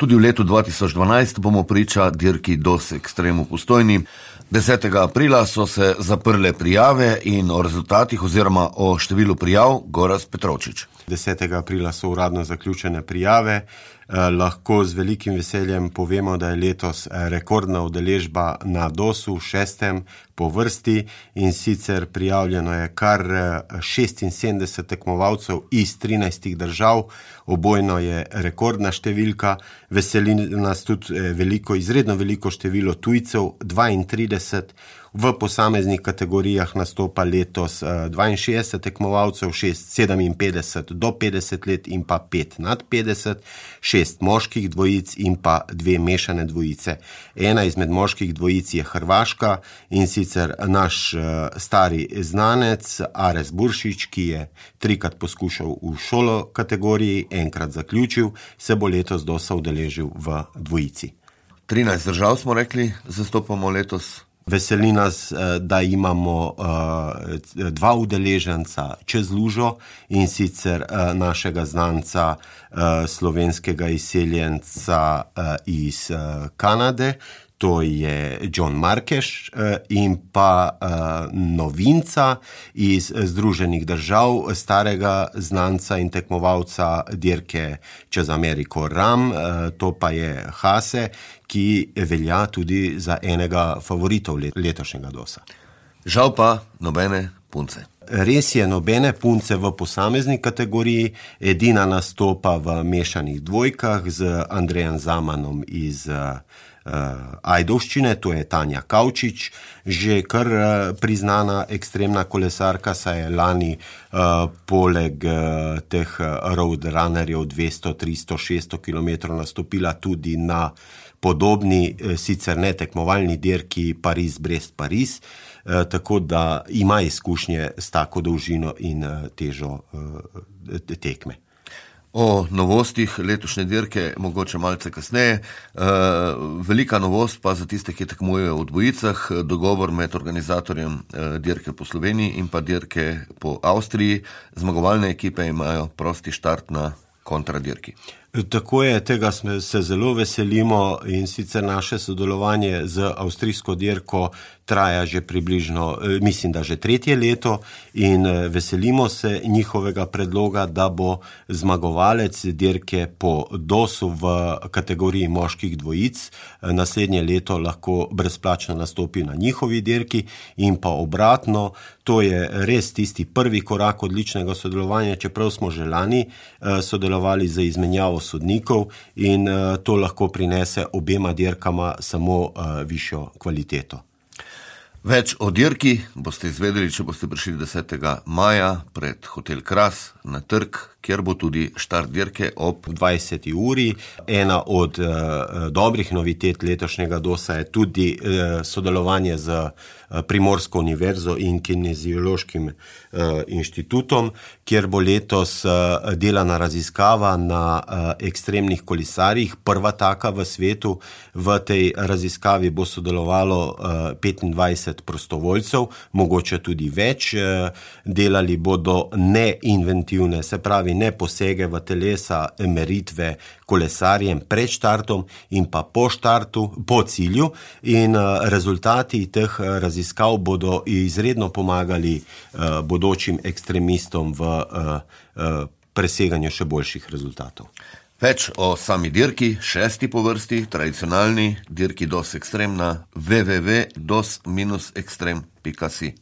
Tudi v letu 2012 bomo priča dirki DOS Extreme v Postojni. 10. aprila so se zaprle prijave in o rezultatih oziroma o številu prijav Gorazd Petrovčič. 10. aprila so uradno zaključene prijave. Lahko z velikim veseljem povemo, da je letos rekordna udeležba na DOS-u, 6. po vrsti, in sicer prijavljeno je kar 76 tekmovalcev iz 13 držav. Obojno je rekordna številka. Veseli nas tudi izredno veliko število tujcev, 32. V posameznih kategorijah nastopa letos 62 tekmovalcev, 57 do 50 let in pa 5 nad 50, 6 moških dvojic in pa 2 mešane dvojice. Ena izmed moških dvojic je Hrvaška, in sicer naš stari znanec Ares Buršić, ki je 3-krat poskušal v šolo kategoriji, enkrat zaključil, se bo letos DOS-a udeležil v dvojici. 13 držav smo rekli, zastopamo letos. Veseli nas, da imamo 2 udeleženca čez lužo, in sicer našega znanca, slovenskega izseljenca iz Kanade, to je John Markeš, in pa novinca iz Združenih držav, starega znanca in tekmovalca dirke čez Ameriko RAM, to pa je Hase, ki velja tudi za enega favoritov letošnjega DOS-a. Žal pa nobene punce. Res je, nobene punce v posamezni kategoriji, edina nastopa v mešanih dvojkah z Andrejem Zamanom iz Ajdovščine, to je Tanja Kavčič, že kar priznana ekstremna kolesarka, saj je lani poleg teh roadrunnerjev 200, 300, 600 km nastopila tudi na podobni, sicer ne tekmovalni dirki Pariz-Brest-Pariz, tako da ima izkušnje s tako dolžino in težo tekme. O novostih letošnje dirke mogoče malce kasneje. Velika novost pa za tiste, ki tekmujejo v dvojicah, dogovor med organizatorjem dirke po Sloveniji in pa dirke po Avstriji. Zmagovalne ekipe imajo prosti štart na kontradirki. Tako je, tega se zelo veselimo, in sicer naše sodelovanje z avstrijsko dirko traja že približno, mislim, da že 3. leto, in veselimo se njihovega predloga, da bo zmagovalec dirke po DOS-u v kategoriji moških dvojic naslednje leto lahko brezplačno nastopi na njihovi dirki, in pa obratno. To je res tisti prvi korak odličnega sodelovanja, čeprav smo že lani sodelovali z izmenjavo sodnikov, in to lahko prinese obema dirkama samo višjo kvaliteto. Več o dirki boste izvedeli, če boste prišli 10. maja pred Hotel Kras na trg, kjer bo tudi štart dirke ob 20. uri. Ena od dobrih novitet letošnjega DOS-a je tudi sodelovanje z Primorsko univerzo in Kineziološkim inštitutom, kjer bo letos delana raziskava na ekstremnih kolesarjih, prva taka v svetu. V tej raziskavi bo sodelovalo 25 prostovoljcev, mogoče tudi več. Delali bodo neinventivne, se pravi ne posege v telesa, meritve kolesarjem pred štartom in pa po štartu, po cilju, in rezultati teh raziskav bodo izredno pomagali bodočim ekstremistom v preseganju še boljših rezultatov. Več o sami dirki, 6. po vrsti, tradicionalni dirki DOS Extreme na www.dos-extreme.si.